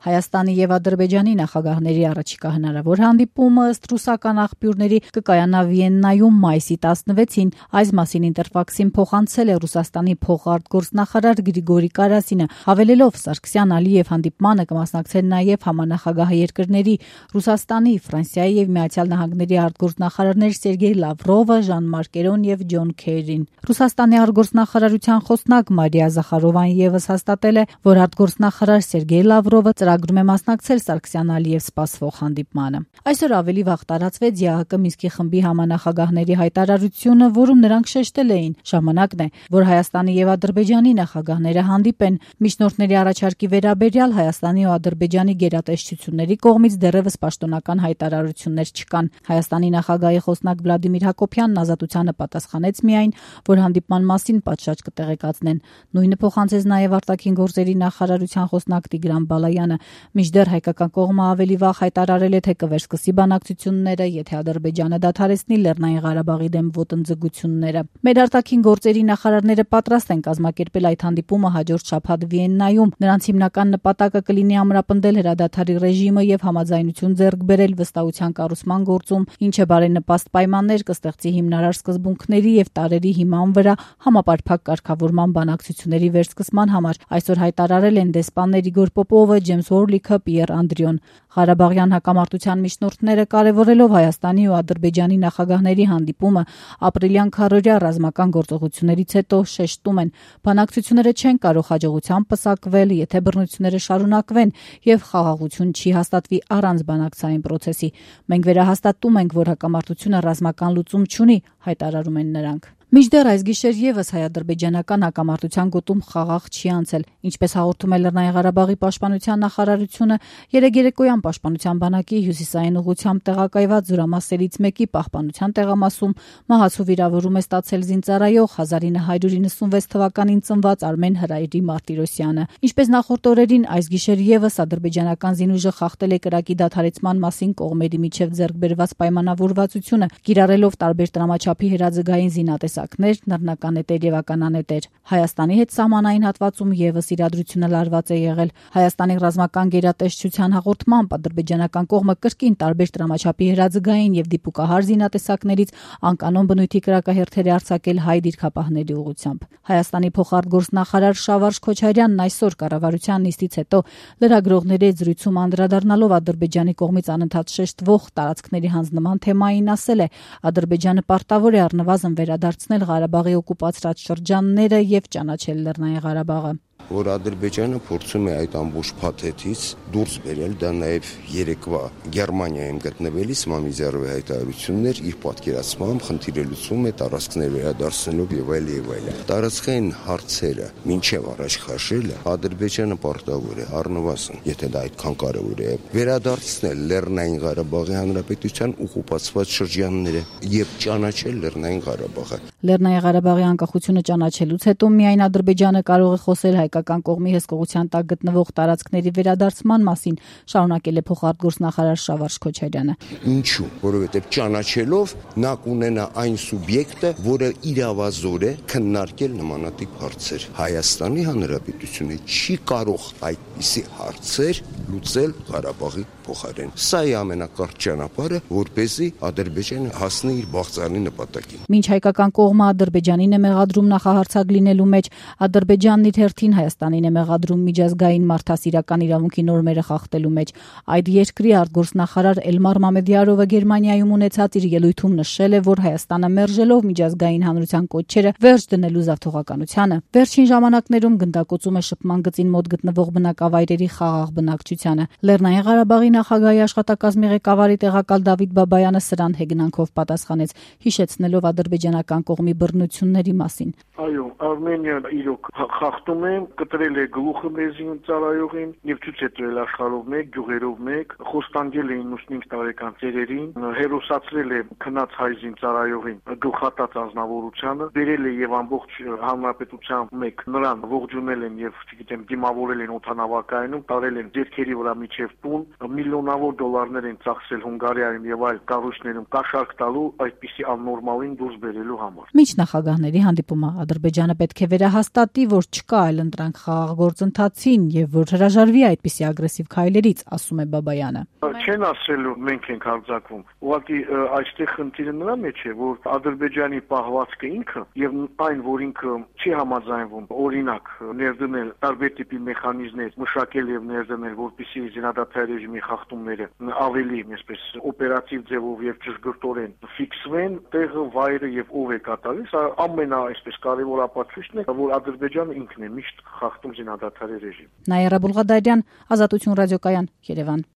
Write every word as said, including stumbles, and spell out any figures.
Հայաստանի եւ Ադրբեջանի նախագահների առաջիկա հնարավոր հանդիպումը ըստ ռուսական աղբյուրների կկայանա Վիեննայում մայիսի տասնվեցին։ Այս մասին Ինտերֆաքսին փոխանցել է Ռուսաստանի փոխարտգործնախարար Գրիգորի Կարասինը, հավելելով Սարգսյան-Ալիև հանդիպմանը կմասնակցեն նաեւ համանախագահ երկրների Ռուսաստանի, Ֆրանսիայի եւ Միացյալ Նահանգների արտգործնախարարներ Սերգեյ Լավրովը, Ժան-Մարկ Էրոն եւ Ջոն Քերին։ Ռուսաստանի արտգործնախարարության խոսնակ Մարիա Զախարովան եւս հաստատել է, որ արտգործնախարար Սերգեյ Լավրովը ծրագրում է մասնակցել Սարգսյան-Ալիև սպասվող հանդիպմանը։ Այսօր ավելի վաղ տարածվեց ԵԱՀԿ Մինսկի խմբի համանախագահների հայտարարությունը, որում նրանք շեշտել էին. ժամանակն է, որ Հայաստանի եւ Ադրբեջանի նախագահները հանդիպեն։ Միջնորդների առաջարկի վերաբերյալ Հայաստանի ու Ադրբեջանի գերատեսչությունների կողմից դեռևս պաշտոնական հայտարարություններ չկան։ Հայաստանի նախագահի խոսնակ Վլադիմիր Հակոբյանն Ազատությանը պատասխանեց միայն, որ հանդիպման մասին պատշաճ կտեղեկացնեն։ Նույնը փոխանցեց նաեւ արտաքին գործերի նախարարության խոսնակ Տիգրան Բալայանը։ Մինչդեռ հայկական կողմը ավելի վաղ հայտարարել է, թե կվերսկսի բանակցությունները, եթե Ադրբեջանը դադարեցնի Լեռնային Ղարաբաղի դեմ ոտնձգությունները։ Մեր արտաքին գործերի նախարարները պատրաստ են կազմակերպել այդ հանդիպումը հաջորդ շաբաթ Վիեննայում։ Նրանց հիմնական նպատակը կլինի ամրապնդել հրադադարի ռեժիմը եւ համաձայնություն ձեռք բերել վստահության կառուցման գործում, ինչը բարենպաստ պայմաններ կստեղծի հիմնարար սկզբունքների եւ տարերի հիման վրա համապարփակ կարգավորման բանակցությունների վերսկսման համար։ Այսօր հայտարարել են դեսպաններ Իգոր Պոպովը, Ջեյմս Հորլիքը, Պիեր Անդրիոն։ Ղարաբաղյան հակամարտության միջնորդները կարևորելով Հայաստանի ու Ադրբեջանի նախագահների հանդիպումը ապրիլյան քառօրյա ռազմական գործողություններից հետո շեշտում են, բանակցությունները չեն կարող հաջողությամբ պսակվել, եթե բռնությունները շարունակվեն եւ խաղաղություն չի հաստատվի առանց բանակցային պրոցեսի։ Մենք վերահաստատում ենք, որ հակամարտությունը ռազմական լուծում չունի, հայտարարում են նրանք։ Մինչդեռ այս գիշեր եւս հայ-ադրբեջանական հակամարտության գոտում խաղաղ չի անցել։ Ինչպես հաղորդում է Լեռնային Ղարաբաղի պաշտպանության նախարարությունը, երեկոյան պաշտպանության բանակի հյուսիսային ուղղությամբ տեղակայված զորամասերից մեկի պահպանության տեղամասում մահացու վիրավորում է ստացել զինծառայող հազար ինը հարյուր իննսունվեց թվականին ծնված Արմեն Հրայրի Մարտիրոսյանը։ Ինչպես նախորդ օրերին, այս գիշեր եւս ադրբեջանական զինուժը խախտել է կրակի դադարեցման մասին կողմերի միջև ձեռք բերված պայմանավորվածությունը, կիրառելով տարբեր տրամաչափի հրաձգային զինատեսակներ, նռնականետեր եւ ականանետեր։ Հայաստանի հետ սահմանային հատվածում եւս իրադրությունը լարված է եղել։ Հայաստանի ռազմական գերատեսչության հաղորդմամբ ադրբեջանական կողմը կրկին տարբեր տրամաչափի հրաձգային եւ դիպուկահար զինատեսակներից անկանոն բնույթի կրակահերթեր է արձակել հայ դիրքապահների ուղղությամբ։ Հայաստանի փոխարտգործնախարար Շավարժ Քոչարյանն այսօր կառավարության նիստից հետո լրագրողների հետ զրույցում անդրադառնալով Ադրբեջանի կողմից անընդհատ շեշտվող տարածքների հանձնման թեմային ասել է. Ադրբեջանը պարտավոր է առնվազն վերադարձնել Ղարաբաղի օկուպացրած շրջանները եւ ճանաչել Լեռնային Ղարաբաղը։ Որ Ադրբեջանը փորձում է այդ ամբողջ փաթեթից դուրս բերել, դա նաև երեկվա Գերմանիայում գտնվելիս Մամիզյարովի հայտարարություններ իր պատկերացմամբ խնդիրը լուծում է տարածքներ վերադարձնելով եւ այլ եւ այլ։ Տարածքային հարցերը մինչեւ առաջ քաշելը Ադրբեջանը պարտավոր է առնվազն, եթե դա այդքան կարեւոր է, վերադարձնել Լեռնային Ղարաբաղի Հանրապետության օկուպացված շրջանները եւ ճանաչել Լեռնային Ղարաբաղը։ Լեռնային Ղարաբաղի անկախությունը ճանաչելուց հետո միայն Ադրբեջանը կարող է խոսել հայկական կողմի հսկողության տակ գտնվող տարածքների վերադարձման մասին, շարունակել է փոխարտգործնախարար Շավարժ Քոչարյանը։ Ինչու՞, որովհետև ճանաչելով նա կունենա այն սուբյեկտը, որը իրավազոր է քննարկել նմանատիպ հարցեր։ Հայաստանի Հանրապետությունը չի կարող այդպիսի հարցեր լուծել Ղարաբաղի փոխարեն։ Սա է ամենակարճ ճանապարհը, որպեսզի Ադրբեջանը հասնի իր բաղձալի նպատակին։ Մինչ հայկական կողմը Ադրբեջանին է մեղադրում նախահարցակ լինելու մեջ, Ադրբեջանն իր հերթին Հայաստանին է մեղադրում միջազգային մարդասիրական իրավունքի նորմերը խախտելու մեջ։ Այդ երկրի արտգործնախարար Էլմար Մամեդյարովը Գերմանիայում ունեցած իր ելույթում նշել է, որ Հայաստանը մերժելով միջազգային հանրության կոչերը վերջ դնելու զավթողականությանը, վերջին ժամանակներում գնդակոծում է շփման գծին մոտ գտնվող բնակավայրերի խաղաղ բնակչությանը։ Լեռնային Ղարաբաղի նախագահի աշխատակազմի ղեկավարի տեղակալ Դավիթ Բաբայանը սրան հեգնանքով պատասխանեց, հիշեցնելով ադրբեջանական կողմի բռնությունների մասին։ Այո, Արմենիան իրոք խախտում է, կտրել է գլուխը մեր զինծառայողին եւ ցույց է տվել աշխարհով մեկ, գյուղերով մեկ, խոստանգել է իննսունինց տարեկան ծերերին, հերոսացրել է քնած հայ զինծառայողին գլխատած անձնավորությանը, բերել է եւ ամբողջ հանրապետության մեկ նրան ողջունել են եւ, չգիտեմ, դիմավորել են օթանավակայանում, տարել են ձեռքի շենքերի վրա միջև տուն, միլիոնավոր դոլարներ են ծախսել Հունգարիայում եւ այլ կառույցներում կաշառք տալու այդպիսի աննորմալին դուրս բերելու համար։ Միջնախագահների հանդիպումը Ադրբեջանը պետք է վերահաստատի, որ չկա այլընտրանք խաղաղ գործընթացին եւ որ հրաժարվի այդպիսի ագրեսիվ քայլերից, ասում է Բաբայանը։ Չեն ասելու մենք ենք հարձակվում։ Ուղղակի այստեղ խնդիրը նրա մեջ է, որ Ադրբեջանի պահվածքը ինքը եւ այն, որ ինքը չի համաձայնվում օրինակ ներդնել տարբեր տիպի մեխանիզմներ, մշակել եւ ներդնել, որպեսզի զինադադարի ռեժիմի խախտումները ավելի, այսպես օպերատիվ ձևով եւ ճշգրտորեն ֆիքսվեն, տեղը, վայրը եւ ով է կատարել, սա ամենա այսպես կարևոր ապացույցն է, որ Ադրբեջանը ինքն է միշտ խախտում զինադադարի ռեժիմ։ Նաիրա Բուլղադարյան, Ազատություն ռադիոկայան, Երևան։